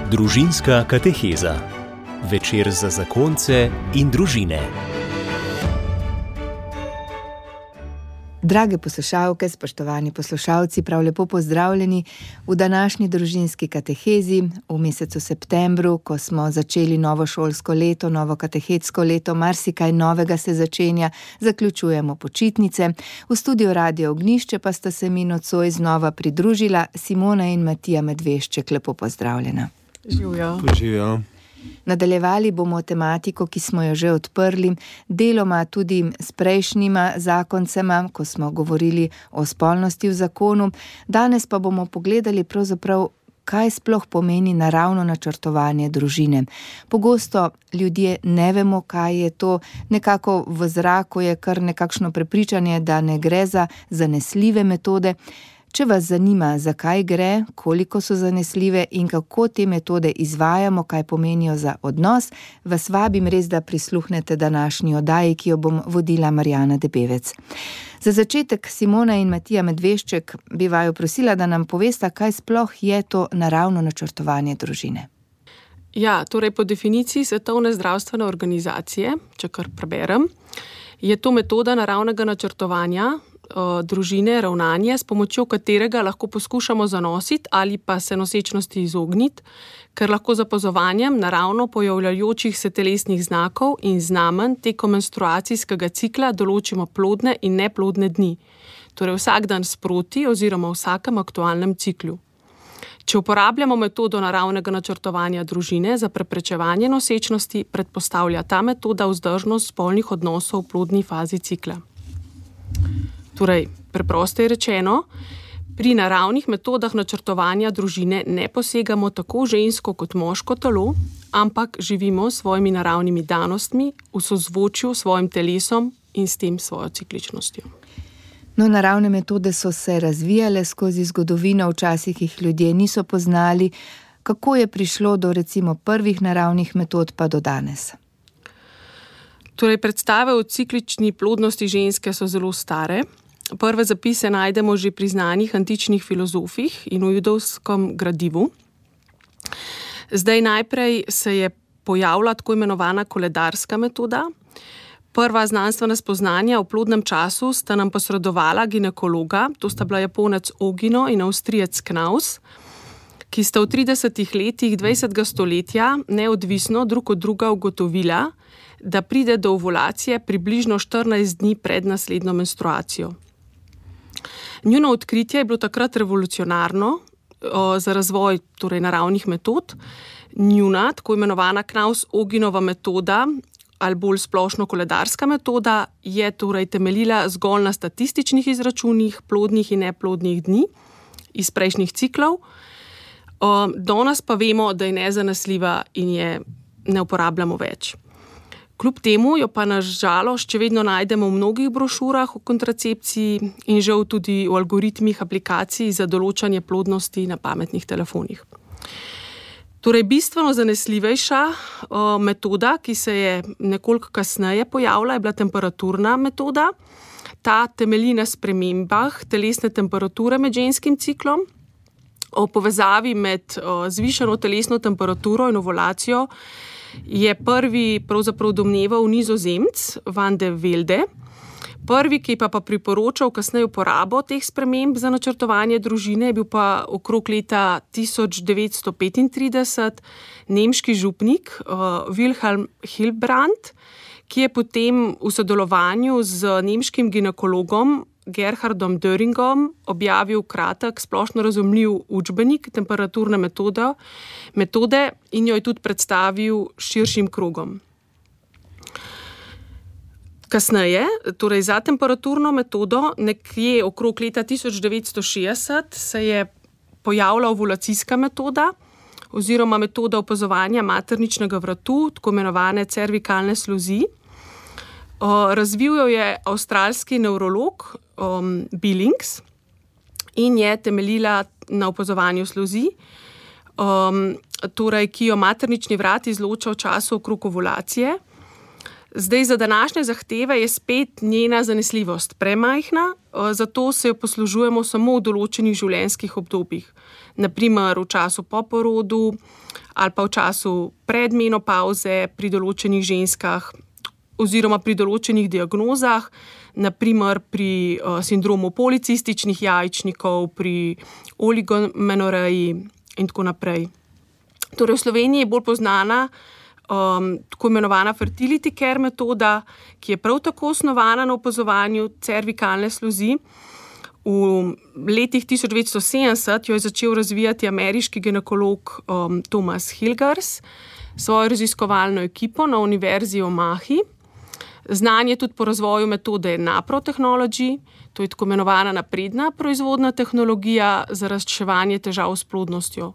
Družinska kateheza. Večer za zakonce in družine. Drage poslušalke, spoštovani poslušalci, prav lepo pozdravljeni v današnji družinski katehezi v mesecu septembru, ko smo začeli novo šolsko leto, novo katehetsko leto, marsikaj novega se začenja, zaključujemo počitnice. V studiu Radio Ognjišče pa sta se mi nocoj znova pridružila Simona in Matija Medvešček. Lepo pozdravljena. Živjo. Živjo. Nadaljevali bomo tematiko, ki smo jo že odprli, deloma tudi s prejšnjima zakoncema, ko smo govorili o spolnosti v zakonu. Danes pa bomo pogledali pravzaprav, kaj sploh pomeni naravno načrtovanje družine. Pogosto ljudje ne vemo, kaj je to, nekako v zraku je kar nekakšno prepričanje, da ne gre za zanesljive metode. Če vas zanima, zakaj gre, koliko so zanesljive in kako te metode izvajamo, kaj pomenijo za odnos, vas vabim res, da prisluhnete današnji oddaji, ki jo bom vodila Marjana Debevec. Za začetek Simona in Matija Medvešček bi vaju prosila, da nam povesta, kaj sploh je to naravno načrtovanje družine. Ja, torej po definiciji Svetovne zdravstvene organizacije, če kar preberem, je to metoda naravnega načrtovanja družine, ravnanje, s pomočjo katerega lahko poskušamo zanositi ali pa se nosečnosti izogniti, ker lahko z opazovanjem naravno pojavljajočih se telesnih znakov in znamenj tekom menstruacijskega cikla določimo plodne in neplodne dni, torej vsak dan sproti oziroma vsakem aktualnem ciklu. Če uporabljamo metodo naravnega načrtovanja družine za preprečevanje nosečnosti, predpostavlja ta metoda vzdržnost spolnih odnosov v plodni fazi cikla. Torej, preprosto rečeno, pri naravnih metodah načrtovanja družine ne posegamo tako žensko kot moško telo, ampak živimo s svojimi naravnimi danostmi v sozvočju s svojim telesom in s tem svojo cikličnostjo. No, naravne metode so se razvijale skozi zgodovino, včasih jih ljudje niso poznali. Kako je prišlo do recimo prvih naravnih metod pa do danes? Torej, predstave o ciklični plodnosti ženske so zelo stare. Prve zapise najdemo že pri znanih antičnih filozofih in v judovskem gradivu. Zdaj najprej se je pojavila tako imenovana koledarska metoda. Prva znanstvena spoznanja v plodnem času sta nam posredovala ginekologa, to sta bila Japonec Ogino in Avstrijec Knaus, ki sta v 30 letih 20. stoletja neodvisno drug od druga ugotovila, da pride do ovulacije približno 14 dni pred naslednjo menstruacijo. Njuno odkritje je bilo takrat revolucionarno za razvoj torej naravnih metod. Njuna, tako imenovana Knaus-Oginova metoda, ali bolj splošno koledarska metoda, je torej temeljila zgolj na statističnih izračunih plodnih in neplodnih dni iz prejšnjih ciklov. Danes pa vemo, da je nezanesljiva in je ne uporabljamo več. Kljub temu jo pa na žalost še vedno najdemo v mnogih brošurah o kontracepciji in žal tudi v algoritmih aplikacij za določanje plodnosti na pametnih telefonih. Torej, bistveno zanesljivejša metoda, ki se je nekoliko kasneje pojavila, je bila temperaturna metoda. Ta temelji na spremembah telesne temperature med ženskim ciklom. O povezavi med zvišano telesno temperaturo in ovulacijo je prvi pravzaprav domneval Nizozemec Van de Velde. Prvi, ki pa priporočal kasneje uporabo teh sprememb za načrtovanje družine, je bil pa okrog leta 1935 nemški župnik Wilhelm Hilbrand, ki je potem v sodelovanju z nemškim ginekologom Gerhardom Döringom objavil kratek, splošno razumljiv učbenik temperaturne metode in jo je tudi predstavil širšim krogom. Kasneje, torej za temperaturno metodo, nekje okrog leta 1960 se je pojavila ovulacijska metoda oziroma metoda opazovanja materničnega vratu, tako imenovane cervikalne sluzi. Razvil jo je avstralski nevrolog Billings in je temeljila na opazovanju sluzi, torej, ki jo maternični vrat izloča v času okrog ovulacije. Zdaj, za današnje zahteve je spet njena zanesljivost premajhna, zato se jo poslužujemo samo v določenih življenjskih obdobjih. Naprimer v času po porodu ali pa v času predmenopavze pri določenih ženskah oziroma pri določenih diagnozah, naprimer pri sindromu policističnih jajčnikov, pri oligomenoreji in tako naprej. Torej v Sloveniji je bolj poznana tako imenovana fertility care metoda, ki je prav tako osnovana na opazovanju cervikalne sluzi. V letih 1970 jo je začel razvijati ameriški ginekolog Thomas Hilgers s svojo raziskovalno ekipo na Univerzi v Omahi. Znan je tudi po razvoju metode Naprotechnology, to je tako imenovana napredna proizvodna tehnologija za razreševanje težav s plodnostjo.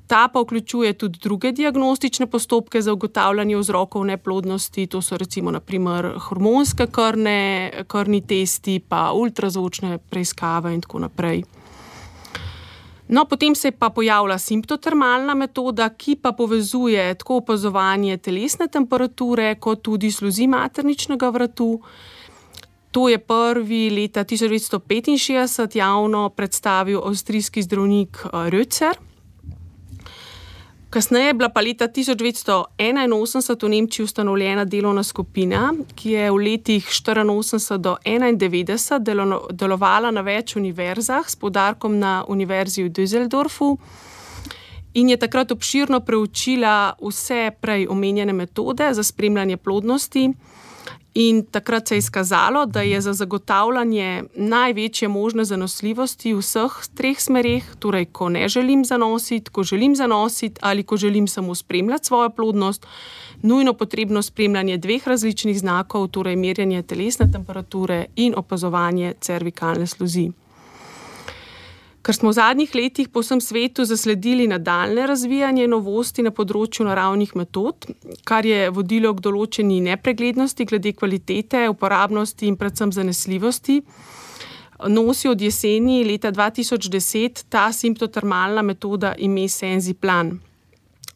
Ta pa vključuje tudi druge diagnostične postopke za ugotavljanje vzrokov neplodnosti, to so recimo naprimer hormonske krvni testi, pa ultrazvočne preiskave in tako naprej. No, potem se je pa pojavila simptotermalna metoda, ki pa povezuje tako opazovanje telesne temperature, kot tudi sluzi materničnega vratu. To je prvi leta 1965 javno predstavil avstrijski zdravnik Rötzer. Kasneje je bila pa leta 1981 v Nemčiji ustanovljena delovna skupina, ki je v letih 1984 do 1991 delovala na več univerzah s poudarkom na Univerzi v Düsseldorfu in je takrat obširno preučila vse prej omenjene metode za spremljanje plodnosti. In takrat se je izkazalo, da je za zagotavljanje največje možne zanosljivosti v vseh treh smereh, torej ko ne želim zanositi, ko želim zanositi ali ko želim samo spremljati svojo plodnost, nujno potrebno spremljanje dveh različnih znakov, torej merjenje telesne temperature in opazovanje cervikalne sluzi. Ker smo v zadnjih letih po vsem svetu zasledili nadaljnje razvijanje novosti na področju naravnih metod, kar je vodilo k določeni nepreglednosti glede kvalitete, uporabnosti in predvsem zanesljivosti, nosi od jeseni leta 2010 ta simptotermalna metoda ime Senziplan.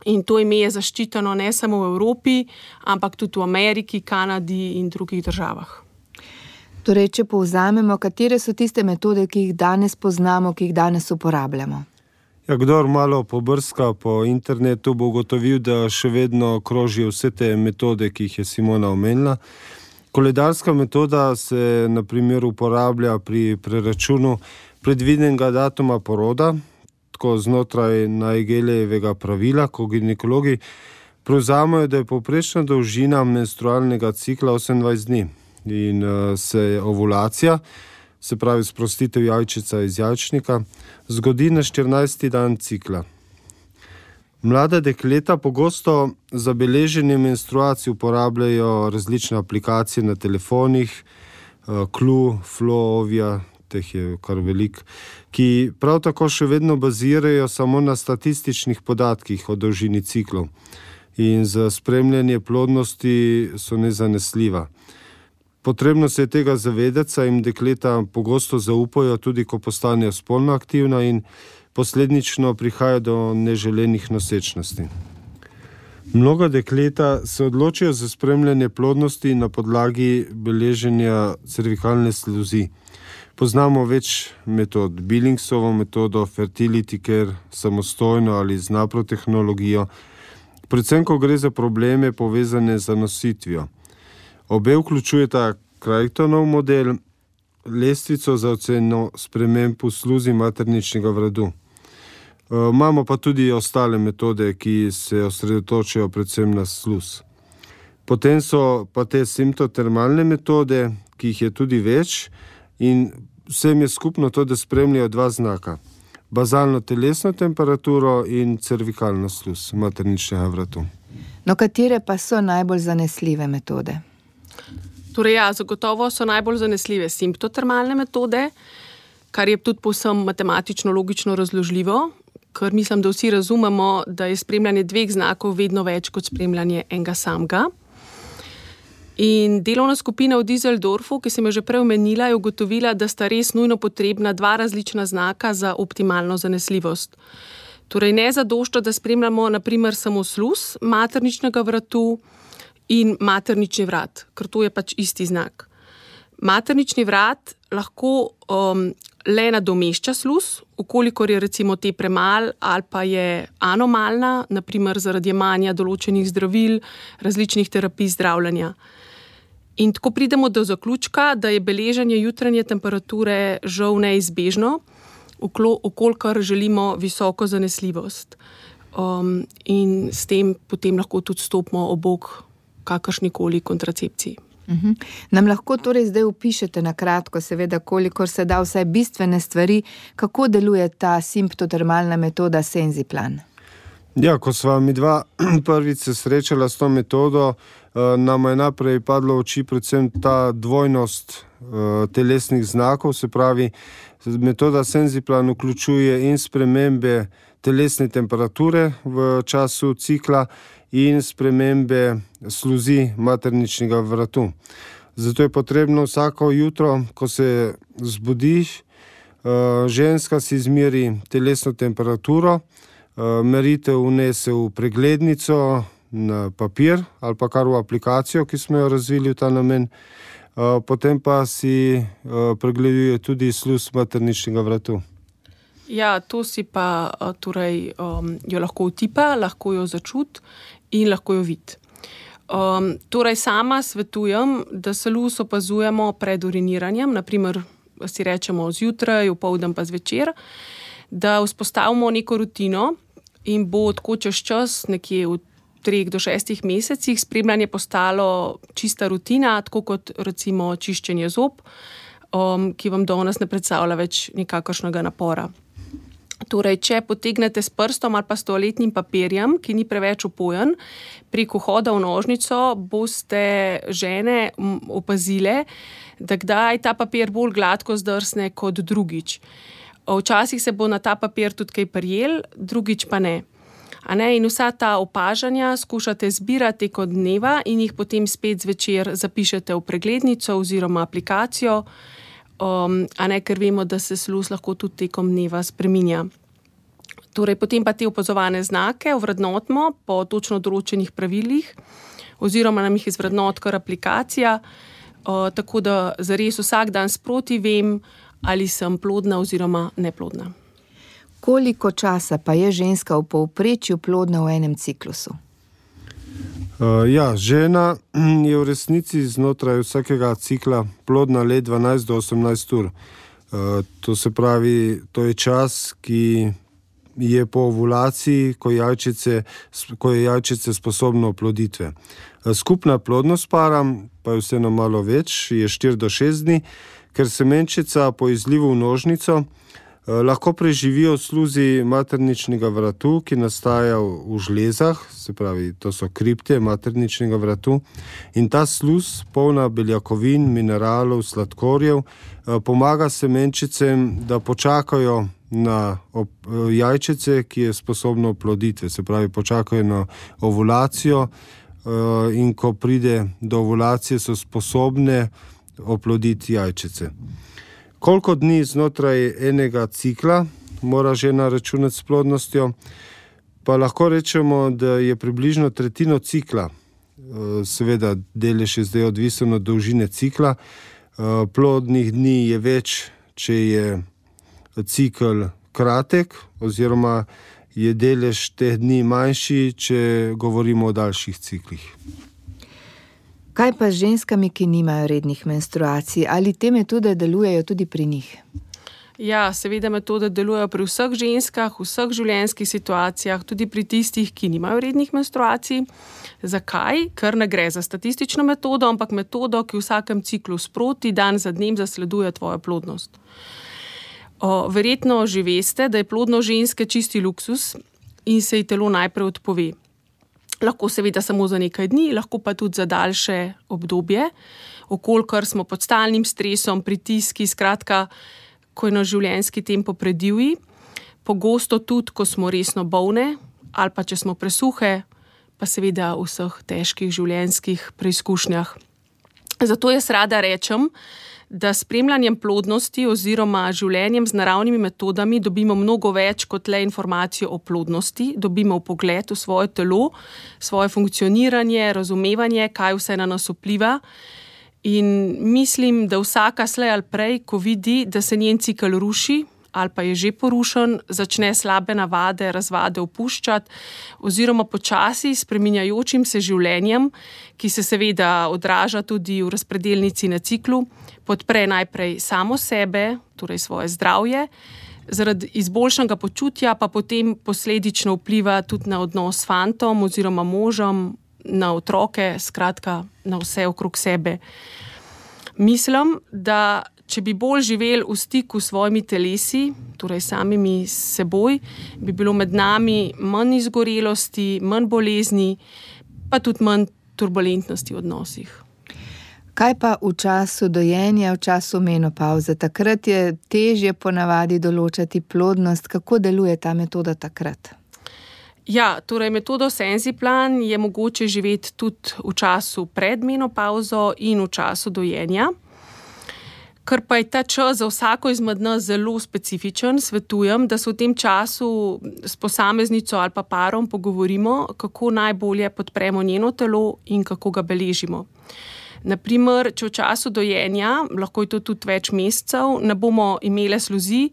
In to ime je zaščiteno ne samo v Evropi, ampak tudi v Ameriki, Kanadi in drugih državah. Torej, če povzamemo, katere so tiste metode, ki jih danes poznamo, ki jih danes uporabljamo? Ja, kdor malo pobrska po internetu, bo ugotovil, da še vedno krožijo vse te metode, ki jih je Simona omenila. Koledarska metoda se na primer uporablja pri preračunu predvidenega datuma poroda, tako znotraj Naegelijevega pravila, ko ginekologi prevzamejo, da je povprečna dolžina menstrualnega cikla 28 dni. In se ovulacija, se pravi sprostitev jajčica iz jajčnika, zgodi na 14. dan cikla. Mlada dekleta pogosto za beleženje menstruacij uporabljajo različne aplikacije na telefonih, Clue, Flow, Ovia, teh je kar veliko, ki prav tako še vedno bazirajo samo na statističnih podatkih o dolžini ciklov in za spremljanje plodnosti so nezanesljiva. Potrebno se je tega zavedati, saj jim dekleta pogosto zaupajo, tudi ko postanejo spolno aktivna in posledično prihaja do neželenih nosečnosti. Mnoga dekleta se odločijo za spremljanje plodnosti na podlagi beleženja cervikalne sluzi. Poznamo več metod, Billingsovo metodo, fertility care, samostojno ali z naprotehnologijo, predvsem ko gre za probleme povezane z zanositvijo. Obe vključujeta Crichtonov model, lestvico za oceno sprememb v sluzi materničnega vratu. Imamo pa tudi ostale metode, ki se osredotočajo predvsem na sluz. Potem so pa te simptotermalne metode, ki jih je tudi več in vsem je skupno to, da spremljajo dva znaka. Bazalno telesno temperaturo in cervikalno sluz materničnega vratu. No, katere pa so najbolj zanesljive metode? Torej ja, zagotovo so najbolj zanesljive simptotermalne metode, kar je tudi povsem matematično logično razložljivo, ker mislim, da vsi razumemo, da je spremljanje dveh znakov vedno več kot spremljanje enega samega. In delovna skupina v Düsseldorfu, ki sem jo že prej omenila, je ugotovila, da sta res nujno potrebna dva različna znaka za optimalno zanesljivost. Torej ne zadošča, da spremljamo na primer samo sluz materničnega vratu in maternični vrat, ker to je pač isti znak. Maternični vrat lahko le nadomešča sluz, ukolikor je recimo te premal ali pa je anomalna, naprimer zaradi jemanja določenih zdravil, različnih terapij zdravljenja. In tako pridemo do zaključka, da je beleženje jutranje temperature žal neizbežno, ukolikor želimo visoko zanesljivost. In s tem potem lahko tudi stopimo ob bok kakršnikoli kontracepciji. Nam lahko torej zdaj opišete na kratko, seveda, kolikor se da vse bistvene stvari, kako deluje ta simptotermalna metoda Senziplan? Ja, ko sva mi dva prvič se srečala s to metodo, nama je naprej padlo v oči predvsem ta dvojnost telesnih znakov, se pravi, metoda Senziplan vključuje in spremembe telesne temperature v času cikla in spremembe sluzi materničnega vratu. Zato je potrebno vsako jutro, ko se zbudiš, ženska si izmeri telesno temperaturo, meritev vnese v preglednico, na papir ali pa kar v aplikacijo, ki smo jo razvili v ta namen, potem pa si pregleduje tudi sluz materničnega vratu. Ja, to si pa torej jo lahko utipa, lahko jo začuti in lahko jo vidi. Torej sama svetujem, da sluz opazujemo pred uriniranjem, naprimer si rečemo zjutraj, opoldan pa zvečer, da vzpostavimo neko rutino in bo tako čez čas, nekje v 3 do 6 mesecih, spremljanje postalo čista rutina, tako kot recimo čiščenje zob, ki vam danes ne predstavlja več nikakršnega napora. Torej, če potegnete s prstom ali pa s toaletnim papirjem, ki ni preveč opojen, preko hoda v nožnico boste žene opazile, da kdaj ta papir bolj gladko zdrsne kot drugič. Včasih se bo na ta papir tudi kaj prijel, drugič pa ne. In vsa ta opažanja skušate zbirati tekom dneva in jih potem spet zvečer zapišete v preglednico oziroma aplikacijo, ker vemo, da se sluz lahko tudi tekom dneva spreminja. Torej, potem pa te opazovane znake ovrednotimo po točno določenih pravilih oziroma nam jih izvrednoti kar aplikacija, tako da zares vsak dan sproti vem, ali sem plodna oziroma neplodna. Koliko časa pa je ženska v povprečju plodna v enem ciklusu? Žena je v resnici znotraj vsakega cikla plodna le 12 do 18 ur. To se pravi, to je čas, ki je po ovulaciji, ko je jajčice sposobno oploditve. Skupna plodnost para, pa je vseeno malo več, je 4 do 6 dni, ker semenčica po izlivu v nožnico lahko preživijo v sluzi materničnega vratu, ki nastaja v žlezah, se pravi, to so kripte materničnega vratu, in ta sluz, polna beljakovin, mineralov, sladkorjev, pomaga semenčicem, da počakajo na jajčice, ki je sposobno oploditve, se pravi, počakajo na ovulacijo in ko pride do ovulacije, so sposobne oploditi jajčice. Koliko dni znotraj enega cikla mora žena računati s plodnostjo, pa lahko rečemo, da je približno tretjino cikla. Seveda, delež je zdaj odvisen od dolžine cikla. Plodnih dni je več, če je cikl kratek, oziroma je delež teh dni manjši, če govorimo o daljših ciklih. Kaj pa z ženskami, ki nimajo rednih menstruacij? Ali te metode delujejo tudi pri njih? Ja, seveda metode delujejo pri vseh ženskah, v vseh življenjskih situacijah, tudi pri tistih, ki nimajo rednih menstruacij. Zakaj? Ker ne gre za statistično metodo, ampak metodo, ki v vsakem ciklu sproti, dan za dnem zasleduje tvojo plodnost. Verjetno že veste, da je plodnost ženske čisti luksus in se ji telo najprej odpove. Lahko seveda samo za nekaj dni, lahko pa tudi za daljše obdobje, okolikor smo pod stalnim stresom, pritiski, skratka, ko je naš življenjski tempo predivji, pogosto tudi, ko smo resno bolne ali pa če smo presuhe, pa seveda v vseh težkih življenjskih preizkušnjah. Zato jaz rada rečem, da s spremljanjem plodnosti oziroma življenjem z naravnimi metodami dobimo mnogo več kot le informacijo o plodnosti, dobimo vpogled v svoje telo, svoje funkcioniranje, razumevanje, kaj vse na nas vpliva. In mislim, da vsaka slej ali prej, ko vidi, da se njen cikel ruši ali pa je že porušen, začne slabe navade, razvade opuščati oziroma počasi spreminjajočim se življenjem, ki se seveda odraža tudi v razpredelnici na ciklu, podpre najprej samo sebe, torej svoje zdravje, zaradi izboljšanega počutja pa potem posledično vpliva tudi na odnos s fantom oziroma možem, na otroke, skratka na vse okrog sebe. Mislim, da če bi bolj živeli v stiku s svojimi telesi, torej samimi seboj, bi bilo med nami manj izgorelosti, manj bolezni, pa tudi manj turbulentnosti v odnosih. Kaj pa v času dojenja, v času menopavze? Takrat je težje ponavadi določati plodnost. Kako deluje ta metoda takrat? Ja, torej metodo Senziplan je mogoče živeti tudi v času pred menopavzo in v času dojenja. Ker pa je ta čas za vsako izmed nas zelo specifičen, svetujem, da se v tem času s posameznico ali pa parom pogovorimo, kako najbolje podpremo njeno telo in kako ga beležimo. Naprimer, če v času dojenja, lahko je to tudi več mesecev, ne bomo imele sluzi,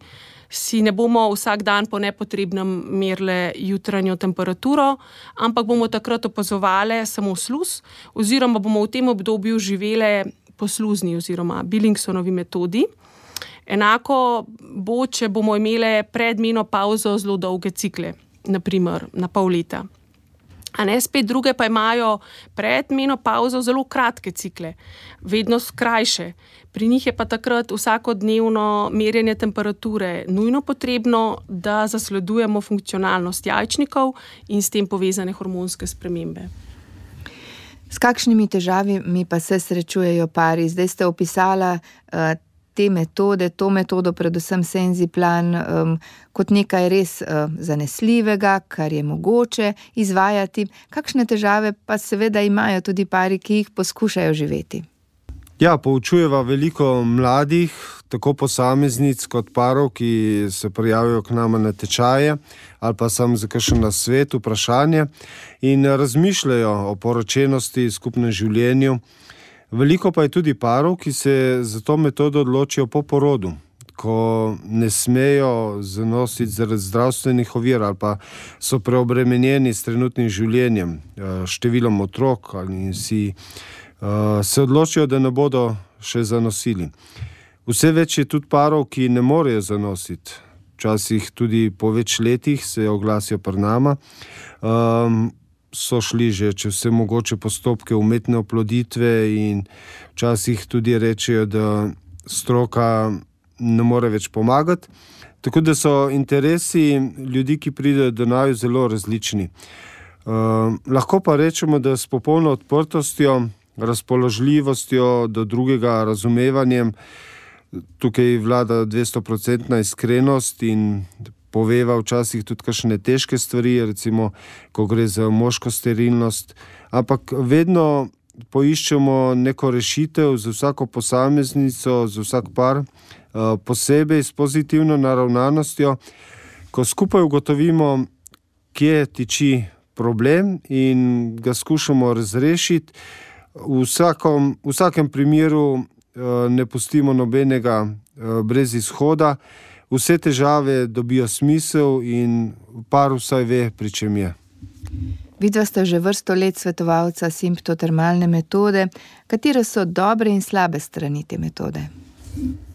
si ne bomo vsak dan po nepotrebnem merile jutranjo temperaturo, ampak bomo takrat opazovali samo sluz, oziroma bomo v tem obdobju živele po sluzni oziroma Billingsonovi metodi. Enako bo, če bomo imele pred menopavzo zelo dolge cikle, naprimer na pol leta. A ne, spet druge pa imajo pred menopavzo zelo kratke cikle, vedno krajše. Pri njih je pa takrat vsakodnevno merjenje temperature nujno potrebno, da zasledujemo funkcionalnost jajčnikov in s tem povezane hormonske spremembe. S kakšnimi težavami pa se srečujejo pari? Zdaj ste opisala te metode, to metodo, predvsem Senziplan, kot nekaj res zanesljivega, kar je mogoče izvajati. Kakšne težave pa seveda imajo tudi pari, ki jih poskušajo živeti? Ja, poučujeva veliko mladih, tako posameznic kot parov, ki se prijavijo k nama na tečaje ali pa sam za kakšen nasvet, vprašanje in razmišljajo o poročenosti, skupnem življenju. Veliko pa je tudi parov, ki se za to metodo odločijo po porodu, ko ne smejo zanositi zaradi zdravstvenih ovir ali pa so preobremenjeni s trenutnim življenjem, številom otrok ali si se odločijo, da ne bodo še zanosili. Vse več je tudi parov, ki ne morejo zanositi. Včasih tudi po več letih se oglasijo pri nama. So šli že čez vse mogoče postopke umetne oploditve in včasih tudi rečejo, da stroka ne more več pomagati. Tako da so interesi ljudi, ki pridejo do naju, zelo različni. Lahko pa rečemo, da s popolno odprtostjo, razpoložljivostjo do drugega, razumevanjem, tukaj vlada 200% iskrenost in poveva včasih tudi kakšne težke stvari, recimo, ko gre za moško sterilnost, ampak vedno poiščemo neko rešitev za vsako posameznico, za vsak par, posebej s pozitivno naravnanostjo, ko skupaj ugotovimo, kje tiči problem in ga skušamo razrešiti. V vsakem primeru ne pustimo nobenega brez izhoda, vse težave dobijo smisel in par vsaj ve, pri čem je. Vidva sta že vrsto let svetovalca simptotermalne metode. Katere so dobre in slabe strani te metode?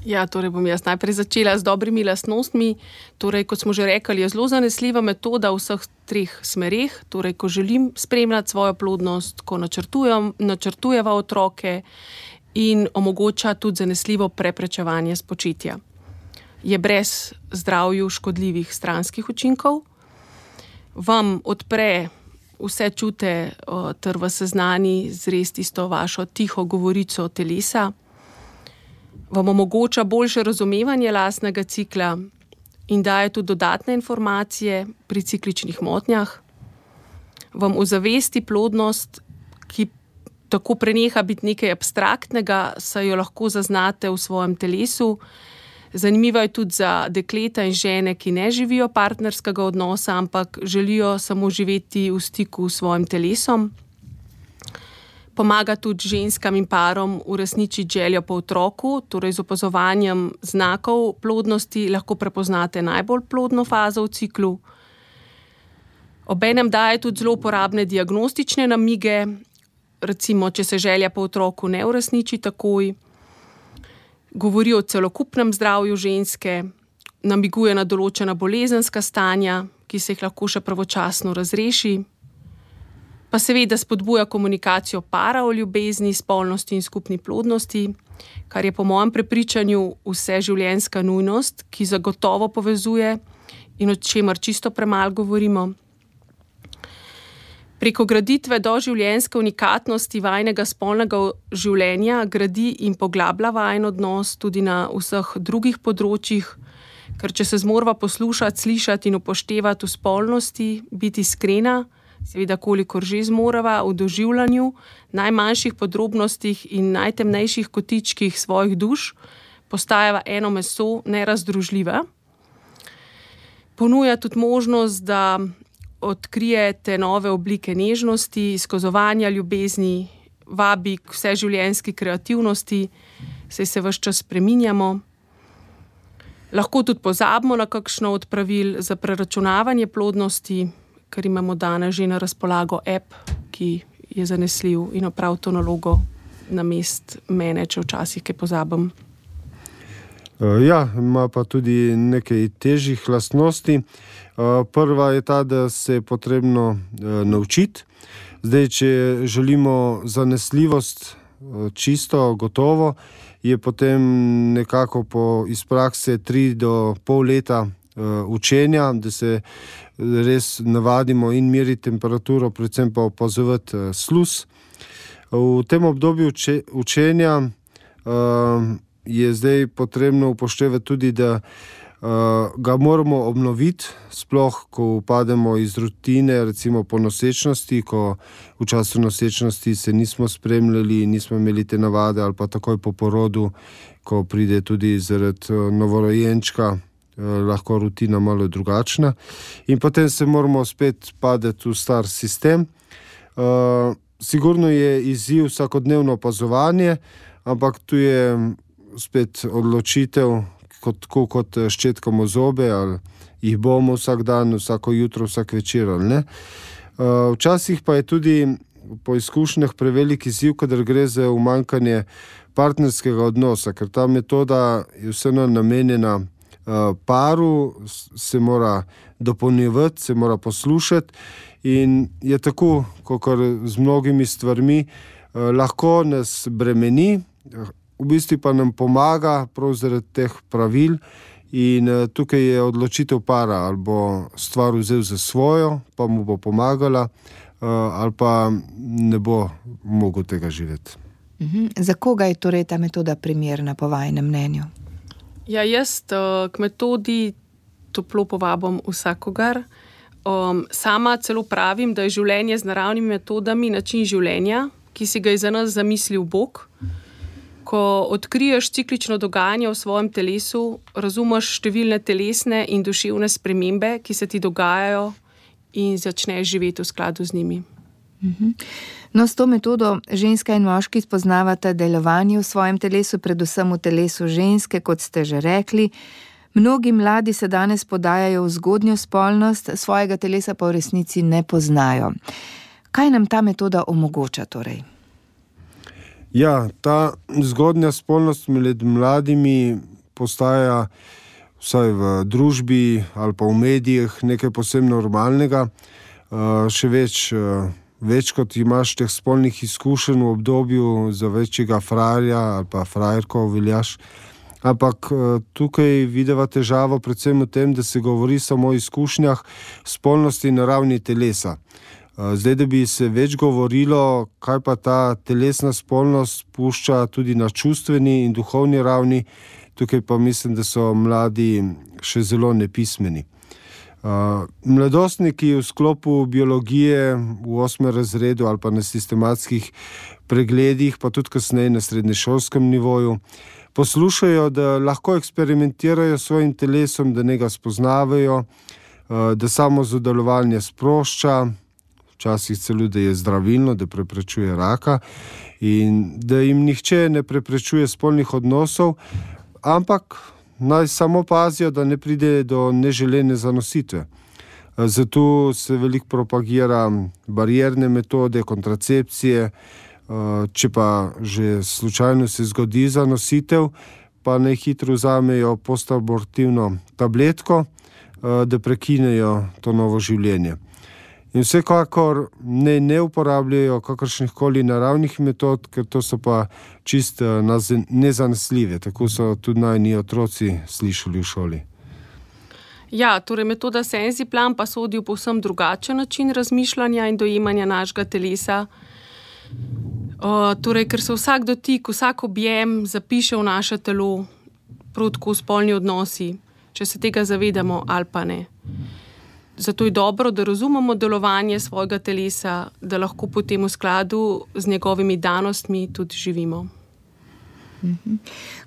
Ja, torej bom jaz najprej začela z dobrimi lastnostmi. Torej, kot smo že rekli, je zelo zanesljiva metoda v vseh treh smereh. Torej, ko želim spremljati svojo plodnost, ko načrtujeva otroke in omogoča tudi zanesljivo preprečevanje spočetja. Je brez zdravju škodljivih stranskih učinkov, vam odpre vse čute ter vas seznani z res tisto vašo tiho govorico telesa, vam omogoča boljše razumevanje lastnega cikla in daje tudi dodatne informacije pri cikličnih motnjah, vam ozavesti plodnost, ki tako preneha biti nekaj abstraktnega, saj jo lahko zaznate v svojem telesu. Zanimivo je tudi za dekleta in žene, ki ne živijo partnerskega odnosa, ampak želijo samo živeti v stiku s svojim telesom. Pomaga tudi ženskam in parom uresničiti željo po otroku, torej z opazovanjem znakov plodnosti lahko prepoznate najbolj plodno fazo v ciklu. Obenem daje tudi zelo uporabne diagnostične namige, recimo, če se želja po otroku ne uresniči takoj. Govori o celokupnem zdravju ženske, namiguje na določena bolezenska stanja, ki se jih lahko še pravočasno razreši. Pa seveda spodbuja komunikacijo para o ljubezni, spolnosti in skupni plodnosti, kar je po mojem prepričanju vseživljenjska nujnost, ki zagotovo povezuje in o čemer čisto premalo govorimo. Preko graditve doživljenjske unikatnosti vajnega spolnega življenja gradi in poglablja vajin odnos tudi na vseh drugih področjih, ker če se zmorva poslušati, slišati in upoštevati v spolnosti, biti iskrena, seveda kolikor že zmorava v doživljanju, najmanjših podrobnostih in najtemnejših kotičkih svojih duš, postajava eno meso nerazdružljiva. Ponuja tudi možnost, da odkrijete nove oblike nežnosti, izkazovanja ljubezni, vabi k vseživljenjski kreativnosti, saj se ves čas spreminjamo. Lahko tudi pozabimo na kakšno od pravil za preračunavanje plodnosti, ker imamo danes že na razpolago app, ki je zanesljiv in opravi to nalogo namest mene, če včasih kaj pozabim. Ja, ima pa tudi nekaj težjih lastnosti. Prva je ta, da se je potrebno naučiti. Zdaj, če želimo zanesljivost čisto, gotovo, je potem nekako iz prakse 3 do pol leta učenja, da se res navadimo in meriti temperaturo, predvsem pa opazovati sluz. V tem obdobju učenja je zdaj potrebno upoštevati tudi, da ga moramo obnoviti, sploh ko upademo iz rutine, recimo po nosečnosti, ko v času nosečnosti se nismo spremljali, nismo imeli te navade, ali pa takoj po porodu, ko pride tudi zaradi novorojenčka, lahko rutina malo drugačna. In potem se moramo spet padeti v star sistem. Sigurno je izziv vsakodnevno opazovanje, ampak tu je spet odločitev, kot ščetkamo zobe, ali jih bomo vsak dan, vsako jutro, vsak večer, ali ne. Včasih pa je tudi po izkušnjah prevelik izziv, kadar gre za umanjkanje partnerskega odnosa, ker ta metoda je vseeno namenjena paru, se mora dopolnjevati, se mora poslušati in je tako, kakor z mnogimi stvarmi, lahko nas bremeni, v bistvu pa nam pomaga prav zaradi teh pravil in tukaj je odločitev para, ali bo stvar vzel za svojo, pa mu bo pomagala, ali pa ne bo mogel tega živeti. Za koga je torej ta metoda primerna po vajinem mnenju? Ja, jaz k metodi toplo povabim vsakogar. Sama celo pravim, da je življenje z naravnimi metodami način življenja, ki si ga je za nas zamislil Bog. Ko odkriješ ciklično dogajanje v svojem telesu, razumeš številne telesne in duševne spremembe, ki se ti dogajajo in začneš živeti v skladu z njimi. No, s to metodo ženska in moški spoznavata delovanje v svojem telesu, predvsem v telesu ženske, kot ste že rekli. Mnogi mladi se danes podajajo v zgodnjo spolnost, svojega telesa pa v resnici ne poznajo. Kaj nam ta metoda omogoča torej? Ja, ta zgodnja spolnost med mladimi postaja vsaj v družbi ali pa v medijih nekaj posebno normalnega. Še več kot imaš teh spolnih izkušenj v obdobju za večjega frajerja ali pa frajerko veljaš. Ampak tukaj videva težavo predvsem v tem, da se govori samo o izkušnjah spolnosti na ravni telesa. Zdaj, da bi se več govorilo, kaj pa ta telesna spolnost pušča tudi na čustveni in duhovni ravni, tukaj pa mislim, da so mladi še zelo nepismeni. Mladostniki v sklopu biologije v 8. razredu ali pa na sistematskih pregledih, pa tudi kasneje na srednješolskem nivoju, poslušajo, da lahko eksperimentirajo s svojim telesom, da njega spoznavajo, da samo zadovoljevanje sprošča, včasih celo, da je zdravilno, da preprečuje raka in da jim nihče ne preprečuje spolnih odnosov, ampak naj samo pazijo, da ne pride do neželene zanositve. Zato se veliko propagira barierne metode, kontracepcije. Če pa že slučajno se zgodi zanositev, pa naj hitro vzamejo postabortivno tabletko, da prekinejo to novo življenje. In vsekakor ne uporabljajo kakršnihkoli naravnih metod, ker to so pa čist nezanesljive. Tako so tudi najni otroci slišali v šoli. Ja, torej metoda Senziplan pa sodi v povsem drugačen način razmišljanja in dojemanja našega telesa. Torej, ker se vsak dotik, vsak objem zapiše v naše telo, prav tako spolni odnosi, če se tega zavedamo ali pa ne. Zato je dobro, da razumemo delovanje svojega telesa, da lahko potem v skladu z njegovimi danostmi tudi živimo.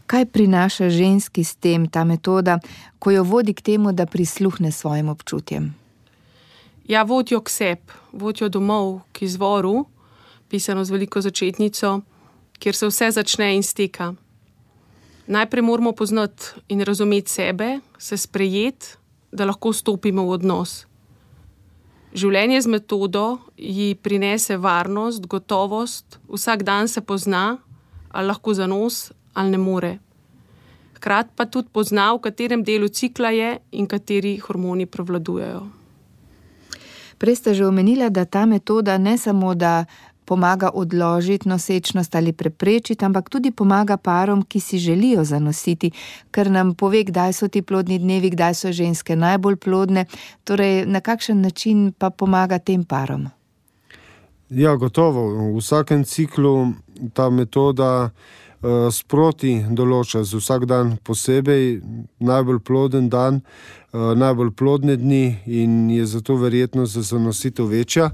Kaj prinaša ženski s tem ta metoda, ko jo vodi k temu, da prisluhne svojim občutjem? Ja, vodijo k sebi, vodijo domov, k izvoru, pisano z veliko začetnico, kjer se vse začne in steka. Najprej moramo poznati in razumeti sebe, se sprejeti, da lahko stopimo v odnos. Življenje z metodo ji prinese varnost, gotovost, vsak dan se pozna, ali lahko zanos, ali ne more. Hkrati pa tudi pozna, v katerem delu cikla je in kateri hormoni prevladujejo. Prej ste že omenila, da ta metoda ne samo, da pomaga odložiti nosečnost ali preprečiti, ampak tudi pomaga parom, ki si želijo zanositi, ker nam pove, kdaj so ti plodni dnevi, kdaj so ženske najbolj plodne, torej na kakšen način pa pomaga tem parom? Ja, gotovo. V vsakem ciklu ta metoda sproti določa za vsak dan posebej najbolj ploden dan, najbolj plodne dni in je zato verjetnost za zanositev večja.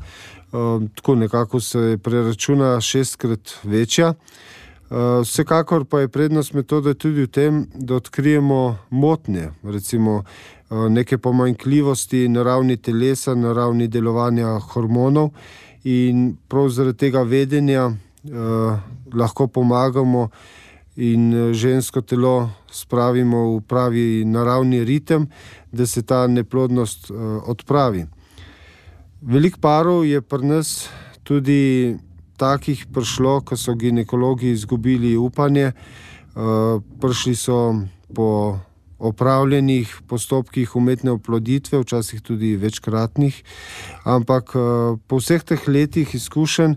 Tako nekako se preračuna 6-krat večja. Vsekakor pa je prednost metode tudi v tem, da odkrijemo motnje, recimo neke pomanjkljivosti na ravni telesa, na ravni delovanja hormonov in prav zaradi tega vedenja lahko pomagamo in žensko telo spravimo v pravi naravni ritem, da se ta neplodnost odpravi. Veliko parov je pri nas tudi takih prišlo, ko so ginekologi izgubili upanje. Prišli so po opravljenih postopkih umetne oploditve, včasih tudi večkratnih, ampak po vseh teh letih izkušenj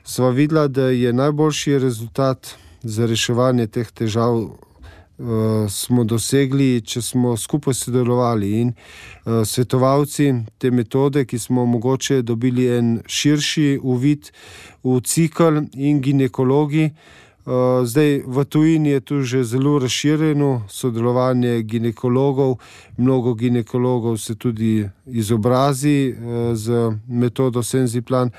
sva videla, da je najboljši rezultat za reševanje teh težav smo dosegli, če smo skupaj sodelovali in svetovalci te metode, ki smo mogoče dobili en širši uvid v cikel in ginekologi. Zdaj v tujini je tu že zelo razširjeno sodelovanje ginekologov, mnogo ginekologov se tudi izobrazi z metodo Senziplan.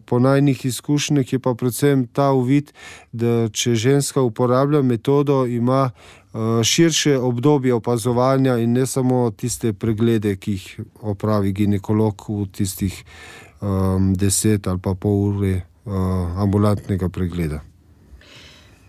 Po najnih izkušnjah je pa predvsem ta uvid, da če ženska uporablja metodo, ima širše obdobje opazovanja in ne samo tiste preglede, ki jih opravi ginekolog v tistih 10 ali pa pol ure ambulantnega pregleda.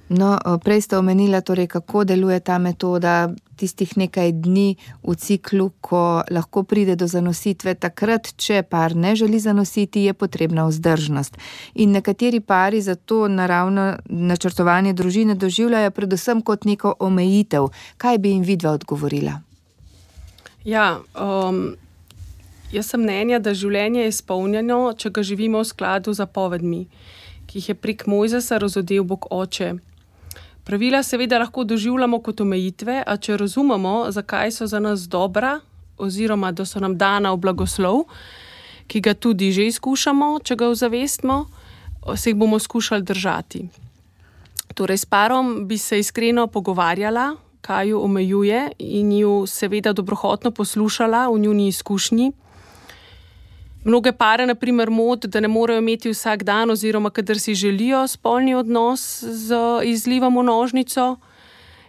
No, prej ste omenila, torej, kako deluje ta metoda, tistih nekaj dni v ciklu, ko lahko pride do zanositve. Takrat, če par ne želi zanositi, je potrebna vzdržnost. In nekateri pari zato naravno načrtovanje družine doživljajo predvsem kot neko omejitev. Kaj bi jim vidva odgovorila? Ja, jaz sem mnenja, da življenje je izpolnjeno, če ga živimo v skladu z zapovedmi, ki jih je prek Mojzesa razodel Bog Oče. Pravila seveda lahko doživljamo kot omejitve, a če razumemo, zakaj so za nas dobra, oziroma da so nam dana v blagoslov, ki ga tudi že izkušamo, če ga ozavestimo, se jih bomo skušali držati. Torej, s parom bi se iskreno pogovarjala, kaj jo omejuje in jo seveda dobrohotno poslušala v njuni izkušnji. Mnoge pare, na primer, moti, da ne morejo imeti vsak dan oziroma kadar si želijo spolni odnos z izlivom v nožnico.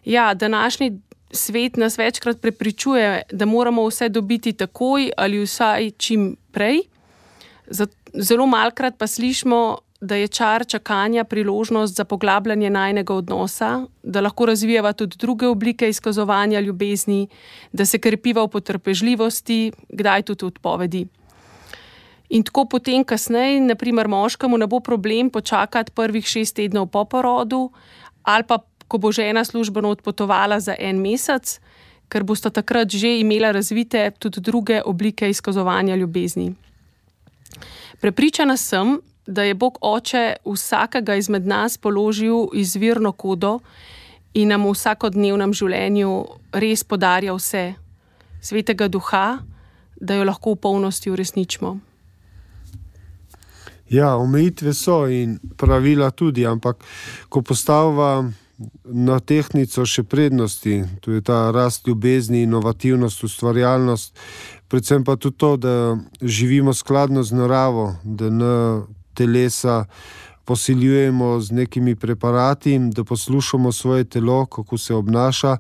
Ja, današnji svet nas večkrat prepričuje, da moramo vse dobiti takoj ali vsaj čim prej. Zelo malkrat pa slišimo, da je čar čakanja priložnost za poglabljanje najinega odnosa, da lahko razvijava tudi druge oblike izkazovanja ljubezni, da se krepiva v potrpežljivosti, kdaj tudi odpovedi. In tako potem kasneje, na primer moškemu ne bo problem počakati prvih 6 tednov po porodu ali pa ko bo žena službeno odpotovala za 1 mesec, ker bosta takrat že imela razvite tudi druge oblike izkazovanja ljubezni. Prepričana sem, da je Bog Oče vsakega izmed nas položil izvirno kodo in nam v vsakodnevnem življenju res podarja vse, Svetega Duha, da jo lahko v polnosti uresničimo. Ja, omejitve so in pravila tudi, ampak ko postavlja na tehtnico še prednosti, to je ta rast ljubezni, inovativnost, ustvarjalnost, predvsem pa tudi to, da živimo skladno z naravo, da ne telesa posiljujemo z nekimi preparati, da poslušamo svoje telo, kako se obnaša.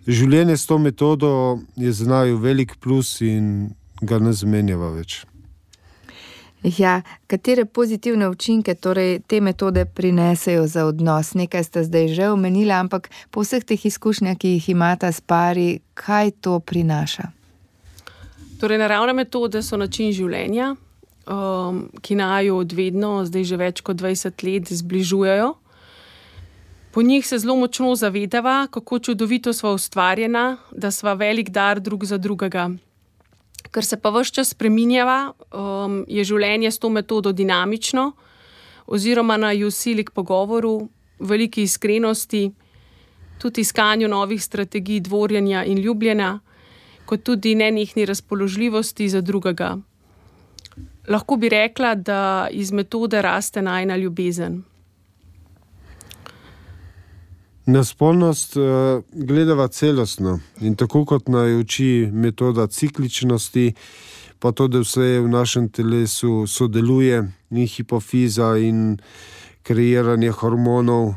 Življenje s to metodo je za naju velik plus in ga ne zamenjava več. Ja, katere pozitivne učinke torej te metode prinesejo za odnos? Nekaj ste zdaj že omenila, ampak po vseh teh izkušnjah, ki jih imata s pari, kaj to prinaša? Torej, naravne metode so način življenja, ki naju od vedno, zdaj že več kot 20 let, zbližujejo. Po njih se zelo močno zavedava, kako čudovito sva ustvarjena, da sva velik dar drug za drugega. Ker se pa ves čas spreminjava, je življenje s to metodo dinamično oziroma naju sili k pogovoru, veliki iskrenosti, tudi iskanju novih strategij dvorjenja in ljubljenja, kot tudi nenehni razpoložljivosti za drugega. Lahko bi rekla, da iz metode raste najina ljubezen. Na spolnost gledava celostno in tako kot naj uči metoda cikličnosti, pa to, da vse v našem telesu sodeluje in hipofiza in kreiranje hormonov,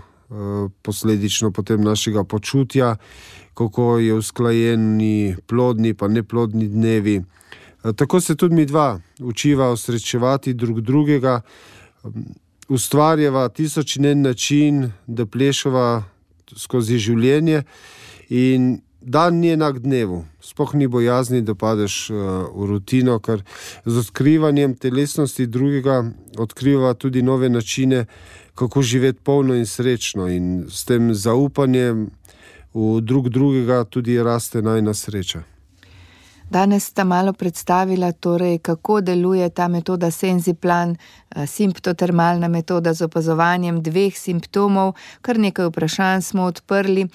posledično potem našega počutja, kako je usklajeni plodni pa neplodni dnevi. Tako se tudi mi dva učiva osrečevati drug drugega, ustvarjava 1001 način, da plešava skozi življenje in dan ni enak dnevu. Sploh ni bojazni, da padeš v rutino, ker z odkrivanjem telesnosti drugega odkriva tudi nove načine, kako živeti polno in srečno in s tem zaupanjem v drugega tudi raste najina sreča. Danes sta malo predstavila, torej, kako deluje ta metoda Senziplan, simptotermalna metoda z opazovanjem 2 simptomov. Kar nekaj vprašanj smo odprli.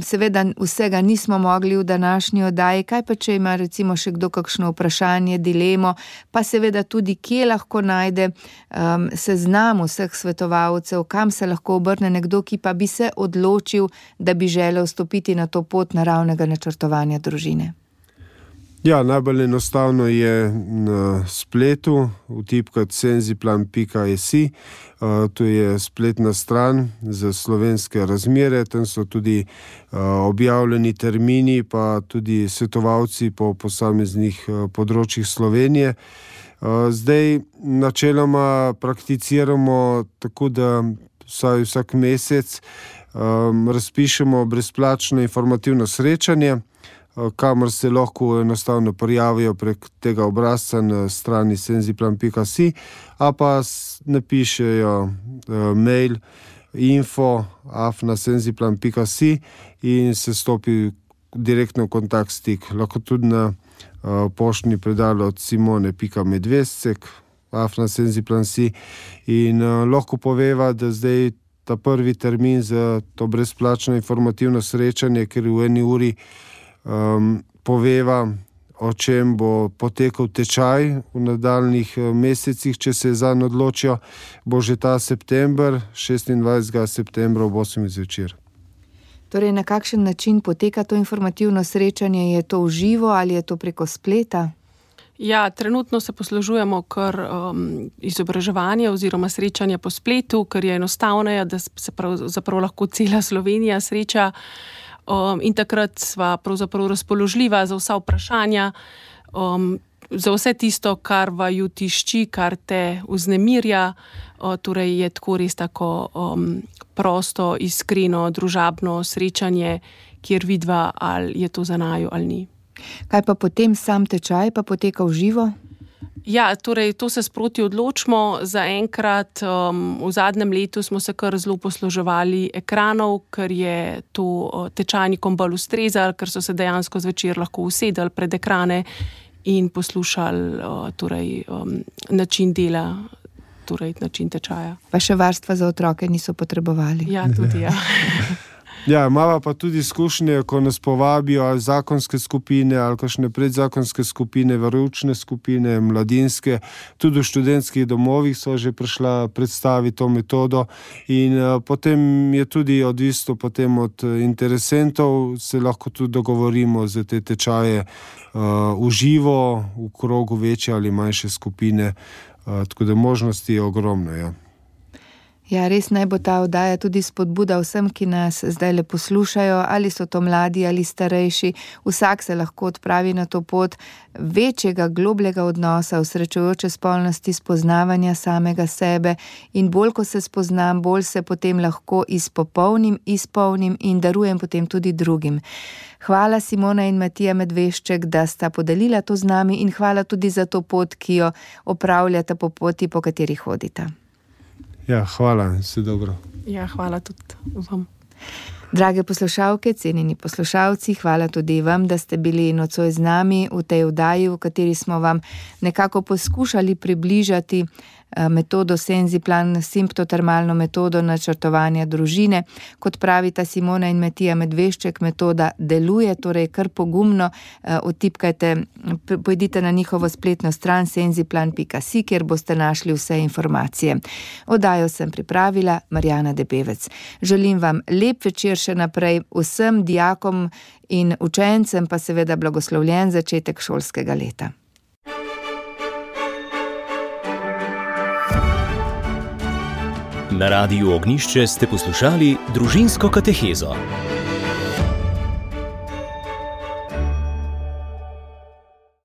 Seveda vsega nismo mogli v današnji oddaji. Kaj pa, če ima recimo še kdo kakšno vprašanje, dilemo, pa seveda tudi, kje lahko najde seznam vseh svetovalcev, kam se lahko obrne nekdo, ki pa bi se odločil, da bi želel stopiti na to pot naravnega načrtovanja družine. Ja, najbolj enostavno je na spletu vtipkati senziplan.si. To je spletna stran za slovenske razmere, tam so tudi objavljeni termini, pa tudi svetovalci po posameznih področjih Slovenije. Zdaj načeloma prakticiramo tako, da vsak mesec razpišemo brezplačno informativno srečanje, kamor se lahko enostavno prijavijo prek tega obrazca na strani senziplan.si, a pa napišejo mail info@senziplan.si in se stopi direktno v kontakt stik. Lahko tudi na poštni predal od simone.medvescek@senziplan.si in lahko poveva, da zdaj ta prvi termin za to brezplačno informativno srečanje, ker v 1 uri poveva, o čem bo potekal tečaj v nadaljnjih mesecih, če se zanj odločijo, bo že ta september, 26. septembra ob 8. zvečer. Torej, na kakšen način poteka to informativno srečanje? Je to v živo ali je to preko spleta? Ja, trenutno se poslužujemo kar izobraževanje oziroma srečanje po spletu, ker je enostavneje, da se pravzaprav lahko cela Slovenija sreča. In takrat sva pravzaprav razpoložljiva za vsa vprašanja, za vse tisto, kar vaju tišči, kar te vznemirja. Torej je tako res tako prosto, iskreno, družabno srečanje, kjer vidva, ali je to za naju ali ni. Kaj pa potem sam tečaj pa poteka v živo? Ja, torej to se sproti odločimo. Zaenkrat v zadnjem letu smo se kar zelo posluževali ekranov, ker je to tečajnikom bolj ustrezalo, ker so se dejansko zvečer lahko usedali pred ekrane in poslušali način dela, torej način tečaja. Pa še varstva za otroke niso potrebovali. Ja, tudi ja. Ja, imamo pa tudi izkušnje, ko nas povabijo ali zakonske skupine ali kakšne predzakonske skupine, veroučne skupine, mladinske, tudi v študentskih domovih so že prišla predstaviti to metodo in potem je tudi odvisno potem od interesentov, se lahko tudi dogovorimo za te tečaje v živo, v krogu večje ali manjše skupine, tako da možnosti je ogromno, ja. Ja, res naj bo ta oddaja tudi spodbuda vsem, ki nas zdaj poslušajo, ali so to mladi ali starejši. Vsak se lahko odpravi na to pot večjega, globljega odnosa, osrečujoče spolnosti, spoznavanja samega sebe in bolj, ko se spoznam, bolj se potem lahko izpolnim in darujem potem tudi drugim. Hvala Simona in Matija Medvešček, da sta podelila to z nami in hvala tudi za to pot, ki jo opravljata po poti, po kateri hodita. Ja, hvala, vse dobro. Ja, hvala tudi vam. Drage poslušalke, cenjeni poslušalci, hvala tudi vam, da ste bili nocoj z nami v tej oddaji, v kateri smo vam nekako poskušali približati metodo Senziplan, simptotermalno metodo načrtovanja družine. Kot pravita Simona in Matija Medvešček, metoda deluje, torej kar pogumno odtipkajte, pojdite na njihovo spletno stran senziplan.si, kjer boste našli vse informacije. Oddajo sem pripravila Marjana Debevec. Želim vam lep večer še naprej, vsem dijakom in učencem pa seveda blagoslovljen začetek šolskega leta. Na Radiu Ognjišče ste poslušali Družinsko katehezo.